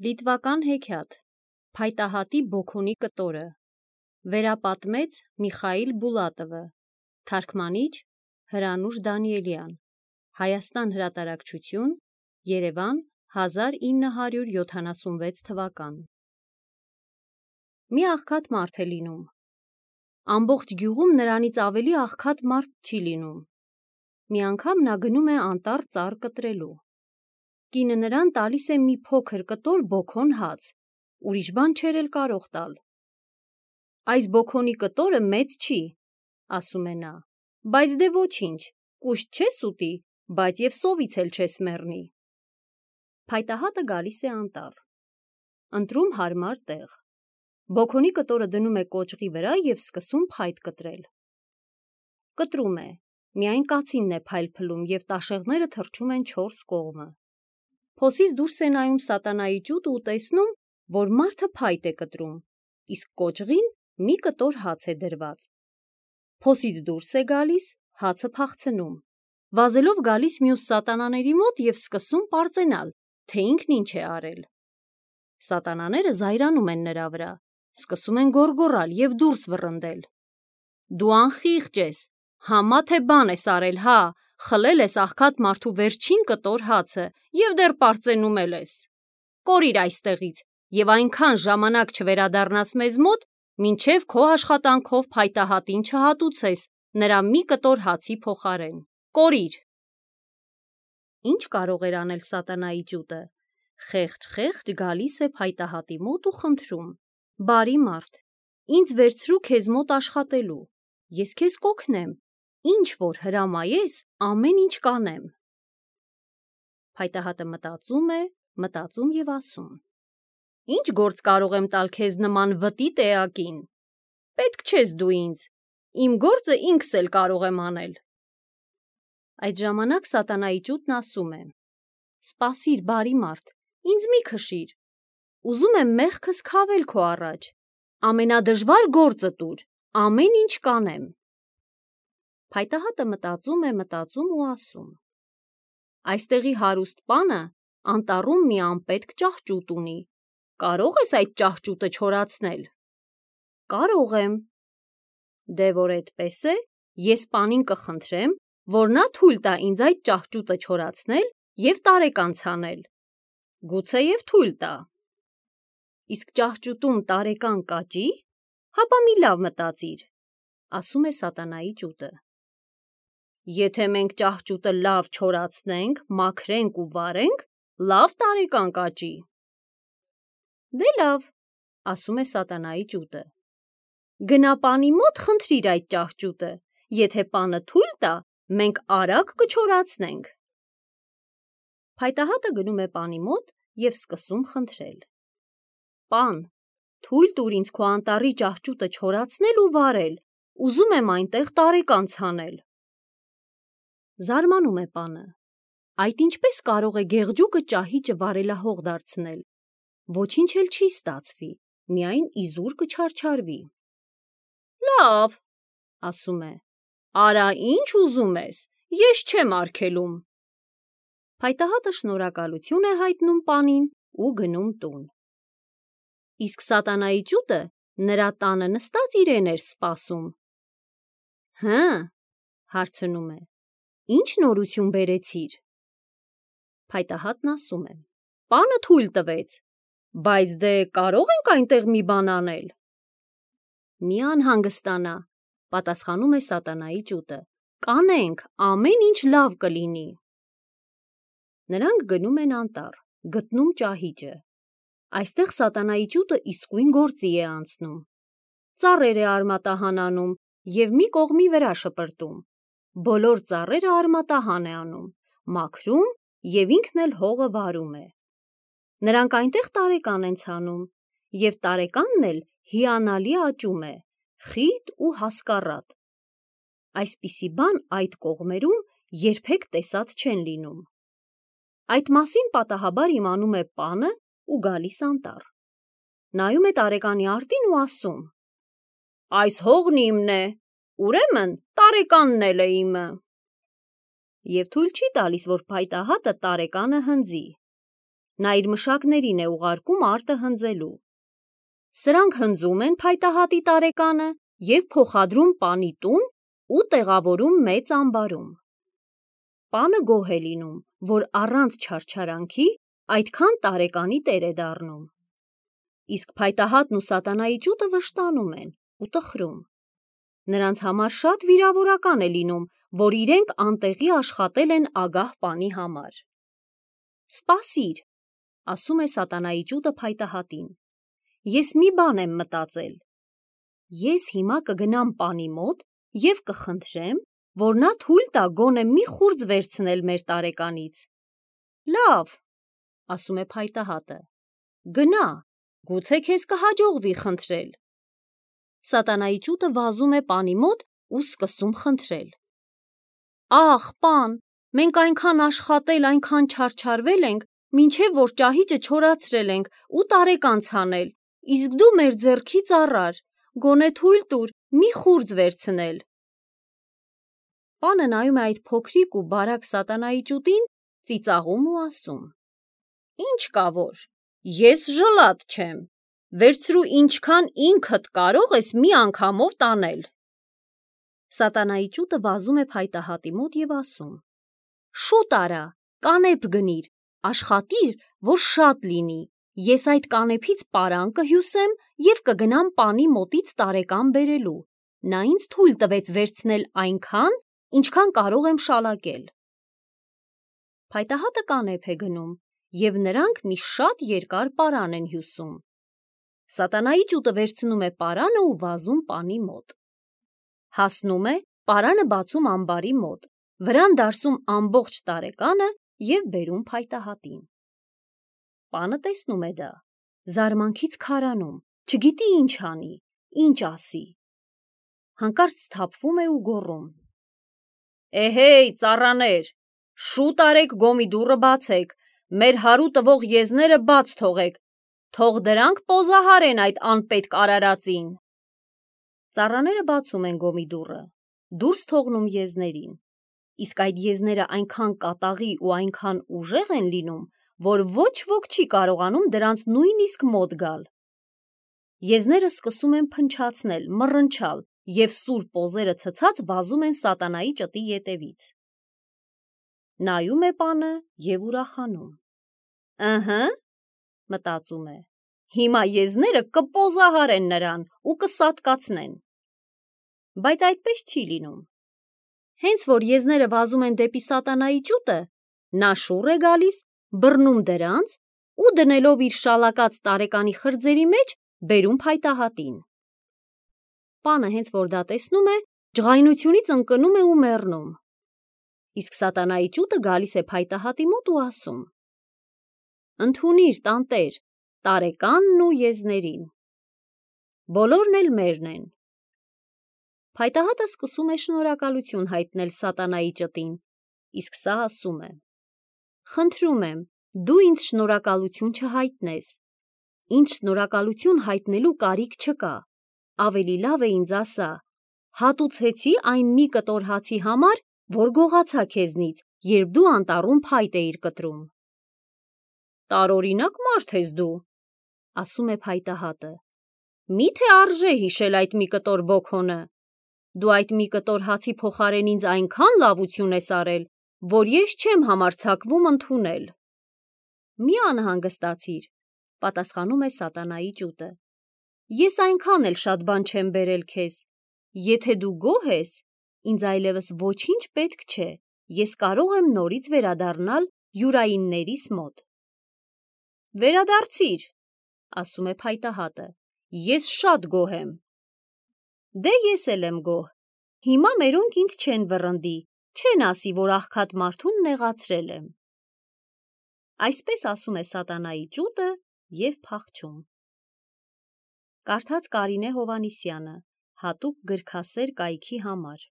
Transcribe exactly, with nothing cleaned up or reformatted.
Լիտվական հեքիաթ Փայտահատի բոքոնի կտորը Վերապատմեց Միխայիլ Բուլատովը Թարգմանիչ Հրանուշ Դանիելյան Հայաստան հրատարակչություն Երևան հազար ինը հարյուր յոթանասունվեց թվական Մի աղքատ մարդ է լինում Ամբողջ գյուղում նրանից ավելի աղքատ մարդ չի լինում Մի անգամ նա գնում է անտառ ծառ կտրելու Կինը նրան տալիս է մի փոքր կտոր բոքոն հաց, ուրիշ բան չէր էլ կարող տալ։ Այս բոքոնի կտորը մեծ չի, ասում է նա, բայց դե ոչինչ, կուշտ չես ուտի, բայց և սովից էլ չես մեռնի։ Փայտահատը գալիս է անտառ, ընտրում հարմար տեղ։ Բոքոնի կտորը դնում է կոճղի վրա և սկսում փայտ կտրել։ Կտրում է, միայն կացինն է փայլփլում և տաշեղները թռչում են չորս կողմը։ Փոսից դուրս է նայում սատանայի ճուտը ու տեսնում, որ մարդը փայտ է կտրում, իսկ կոճղին մի կտոր հաց է դրված։ Փոսից դուրս է գալիս, հացը փախցնում, վազելով գալիս մյուս սատանաների մոտ և սկսում պարծենալ, թե ինքն ինչ է արել։ Սատանաները զայրանում են նրա վրա, սկսում են գոռգոռալ և դուրս վռնդել։ Դու անխիղճ ես, համա թե բան ես արել, հա, խլել ես աղքատ մարդու վերջին կտոր հացը և դեռ պարծենում էլ ես։ Կորիր այստեղից և այնքան ժամանակ չվերադառնաս մեզ մոտ, մինչև քո աշխատանքով փայտահատին չհատուցես նրա մի կտոր հացի փոխարեն։ Կորիր։ Ինչ կարող էր անել սատանայի ճուտը։ Խեղճ-խեղճ գալիս է փայտահատի մոտ ու խնդրում. Բարի մարդ, ինձ վերցրու քեզ մոտ աշխատելու, ես քեզ կօգնեմ, ինչ որ հրամայես, ամեն ինչ կանեմ։ Փայտահատը մտածում է, մտածում և ասում. Ինչ գործ կարող եմ տալ քեզ նման վտիտ էակին։ Պետք չես դու ինձ, իմ գործը ինքս էլ կարող եմ անել։ Այդ ժամանակ սատանայի ճուտն ասում է. Սպասիր, բարի մարդ, ինձ մի քշիր, ուզում եմ մեղքս քավել քո առաջ, ամենադժվար գործը տուր, ամեն ինչ կանեմ։ Փայտահատը մտածում է, մտածում ու ասում. Այստեղի հարուստ պանը անտառում մի անպետք ճահճուտ ունի, կարո՞ղ ես այդ ճահճուտը չորացնել։ Կարող եմ։ Դե որ էդպես է, ես պանին կխնդրեմ, որ նա թույլ տա ինձ այդ ճահճուտը չորացնել և տարեկան ցանել։ Գուցեև թույլ տա։ Իսկ ճահճուտում տարեկան կաճի, հապա մի լավ մտածիր, ասում է սատանայի ճուտը։ Եթե մենք ճահճուտը լավ չորացնենք, մաքրենք ու վարենք, լավ տարեկան կաճի։ Դե լավ, ասում է սատանայի ճուտը։ Գնա պանի մոտ խնդրիր այդ ճահճուտը, եթե պանը թույլ տա, մենք արագ կչորացնենք։ Փայտահատը գնում է պանի մոտ և սկսում խնդրել. Պան, թույլ տուր ինձ քո անտառի ճահճուտը չորացնել ու վարել, ուզում եմ այնտեղ տարեկան ցանել։ Զարմանում է պանը, այդ ինչպես կարող է գեղջուկը ճահիճը վարելահող դարձնել, ոչինչ էլ չի ստացվի, միայն իզուր կչարչարվի։ Լավ, ասում է, արա ինչ ուզում ես, ես չեմ արգելում։ Փայտահատը շնորհակալություն է հայտնում պանին ու գնում տուն։ Իսկ սատանայի ճուտը նրա տանը նստած իրեն էր սպասում։ Հը, հարցնում է, ինչ նորություն բերեցիր։ Փայտահատն ասում է. Պանը թույլ տվեց, բայց դե կարող ենք այնտեղ մի բան անել։ Մի անհանգստանա, պատասխանում է սատանայի ճուտը, կանենք, ամեն ինչ լավ կլինի։ Նրանք գնում են անտառ, գտնում ճահիճը։ Այստեղ սատանայի ճուտը իսկույն գործի է անցնում։ Ծառեր է արմատահան անում և մի կողմի վրա շպրտում։ Բոլոր ծառերը արմատահան է անում, մաքրում և ինքն էլ հողը վարում է։ Նրանք այնտեղ տարեկան են ցանում, և տարեկանն էլ հիանալի աճում է, խիտ ու հասկառատ։ Այսպիսի բան այդ կողմերում երբեք տեսած չեն լինում։ Այդ մասին պատահաբար իմանում է պանը ու գալիս անտառ։ Նայում է տարեկանի արտին ու ասում. Այս հողն իմն է, ուրեմն տարեկանն էլ է իմը։ Եվ թույլ չի տալիս, որ փայտահատը տարեկանը հնձի։ նա իր մշակներին է ուղարկում արտը հնձելու։ Սրանք հնձում են փայտահատի տարեկանը և փոխադրում պանի տուն ու տեղավորում մեծ ամբարում։ Պանը գոհ է լինում, որ առանց չարչարանքի այդքան տարեկանի տեր է դառնում։ Իսկ փայտահատն ու սատանայի ճուտը վշտանում են ու տխրում։ Նրանց համար շատ վիրավորական է լինում, որ իրենք անտեղի աշխատել են ագահ պանի համար։ «Սպասիր», ասում է սատանայի ճուտը փայտահատին, «ես մի բան եմ մտածել։ Ես հիմա կգնամ պանի մոտ և կխնդրեմ, որ նա թույլ տա գոնե մի խուրձ վերցնել մեր տարեկանից»։ «Լավ», ասում է փայտահատը, «գնա, գուցե քեզ կհաջողվի խնդրել»։ Սատանայի ճուտը վազում է պանի մոտ ու սկսում խնդրել. «Ախ, պան, մենք այնքան աշխատել, այնքան չարչարվել ենք, մինչև որ ճահիճը չորացրել ենք ու տարեկան ցանել, իսկ դու մեր ձեռքից առար, գոնե թույլ տուր մի խուրձ վերցնել»։ Պանը նայում է այդ փոքրիկ ու բարակ սատանայի ճուտին, ծիծաղում ու ասում. «Ինչ կա որ, ես ժլատ չեմ, վերցրու ինչքան ինքդ կարող ես մի անգամով տանել»։ Սատանայի ճուտը վազում է փայտահատի մոտ և ասում. «Շուտ արա, կանեպ գնիր, աշխատիր, որ շատ լինի, ես այդ կանեփից պարան կհյուսեմ և կգնամ պանի մոտից տարեկան բերելու, նա ինձ թույլ տվեց վերցնել այնքան, ինչքան կարող եմ շալակել»։ Փայտահատը կանեփ է գնում, և նրանք մի շատ երկար պարան են հյուսում։ Սատանայի ճուտը վերցնում է պարանը ու վազում պանի մոտ։ Հասնում է, պարանը բացում ամբարի մոտ, վրան դարսում ամբողջ տարեկանը և բերում փայտահատին։ Պանը տեսնում է դա, զարմանքից քարանում, չգիտի ինչ անի, ինչ ասի։ Հանկարծ սթափվում է ու գոռում. «Էհեյ, ծառաներ, շուտ արեք գոմի դուռը բացեք, մեր հարու տվող եզները բաց թողեք, թող դրանք պոզահարեն այդ անպետք արարածին»։ Ծառաները բացում են գոմի դուռը, դուրս թողնում եզներին, իսկ այդ եզները այնքան կատաղի ու այնքան ուժեղ են լինում, որ ոչ ոք չի կարողանում դրանց նույնիսկ մոտ գալ։ Եզները սկսում են փնչացնել, մռնչալ և սուր պոզերը ցցած վազում են սատանայի ճտի ետևից։ Նայում է պանը և ուրախանում. «Ըհը», մտածում է, «հիմա եզները կպոզահարեն նրան ու կսատկացնեն»։ Բայց այդպես չի լինում։ Հենց որ եզները վազում են դեպի սատանայի ճուտը, նա շուռ է գալիս, բռնում դրանց ու դնելով իր շալակած տարեկանի խրձերի մեջ, բերում փայտահատին։ Պանը հենց որ դա տեսնում է, ջղայնությունից ընկնում է ու մեռնում։ Իսկ սատանայի ճուտը գալիս է փայտահատի մոտ ու ասում. «Ընդունիր, տանտեր, տարեկանն ու եզներին։ Բոլորն էլ մերն են»։ Փայտահատը սկսում է շնորհակալություն հայտնել սատանայի ճտին, իսկ սա ասում է. «Խնդրում եմ, դու ինձ շնորհակալություն չհայտնես, ինձ շնորհակալություն հայտնելու կարիք չկա, ավելի լավ է ինձ ասա, հատուցեցի այն մի կտոր հացի համար, որ գողացա քեզնից, երբ դու անտառում փայտ էիր կտրում»։ «Տարօրինակ մարդ ես դու», ասում է փայտահատը, «մի՞թե արժե հիշել այդ մի կտոր բոքոնը։ Դու այդ մի կտոր հացի փոխարեն ինձ այնքան լավություն ես արել, որ ես չեմ համարձակվում ընդունել»։ «Մի անհանգստացիր», պատասխանում է սատանայի ճուտը, «ես այնքան էլ շատ բան չեմ բերել քեզ։ Եթե դու գոհ ես, ինձ այլևս ոչինչ պետք չէ, ես կարող եմ նորից վերադառնալ յուրայիններիս մոտ»։ «Վերադարձիր», ասում է փայտահատը, «ես շատ գոհ եմ»։ «Դե ես էլ եմ գոհ, հիմա մերոնք ինձ չեն վռնդի, չեն ասի, որ աղքատ մարդուն նեղացրել եմ»։ Այսպես ասում է սատանայի ճուտը և փախչում։ Կարդաց Կարինե Հովհաննիսյանը, հատուկ գրքասեր կայքի համար։